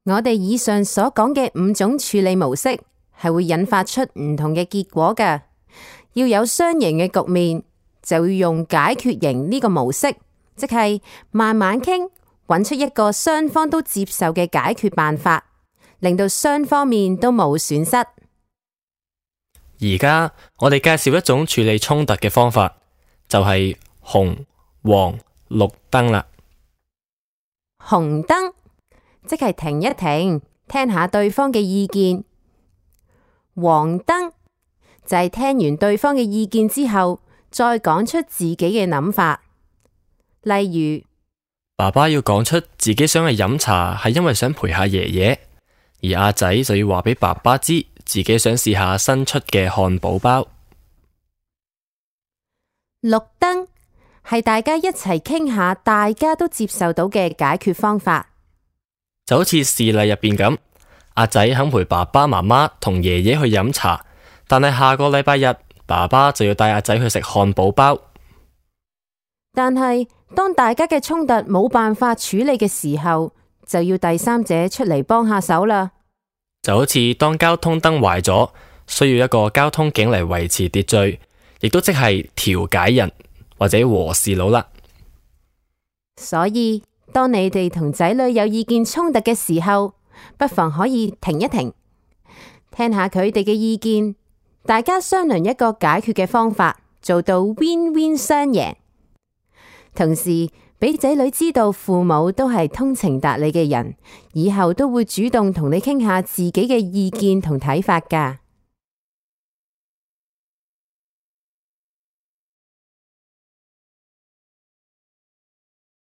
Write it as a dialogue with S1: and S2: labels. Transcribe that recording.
S1: 我哋以上所講嘅5種處理模式係會引發出唔同嘅結果㗎。要有雙贏嘅局面，就要用解決型呢個模式，即係慢慢傾，揾出一個雙方都接受嘅解決辦法，令到雙方面都冇損失。
S2: 而家我哋介紹一種處理衝突嘅方法，就係紅、黃、綠燈啦。
S1: 紅燈即係停一停，聽下對方嘅意見。黃燈就係聽完對方嘅意見之後，再講出自己嘅諗法。例如，
S2: 爸爸要講出自己想去飲茶係因為想陪下爺爺，而阿仔就要話俾爸爸知自己想試下新出嘅漢堡包。
S1: 綠燈係大家一齊傾下，大家都接受到嘅解決方法。
S2: 就好似事例入邊咁，阿仔肯陪爸爸媽媽同爺爺去飲茶，但係下個禮拜日，爸爸就要帶阿仔去食漢堡包。
S1: 但係當大家嘅衝突冇辦法處理嘅時候，就要第三者出嚟幫下手啦。
S2: 就好似當交通燈壞咗，需要一個交通警嚟維持秩序，亦都即係調解人或者和事佬啦。
S1: 所以當你哋同仔女有意見衝突嘅時候，不妨可以停一停，聽下佢哋嘅意見，大家商量一個解決嘅方法，做到 win-win 雙贏。同時俾仔女知道父母都係通情達理嘅人，以後都會主動同你傾下自己嘅意見同睇法㗎。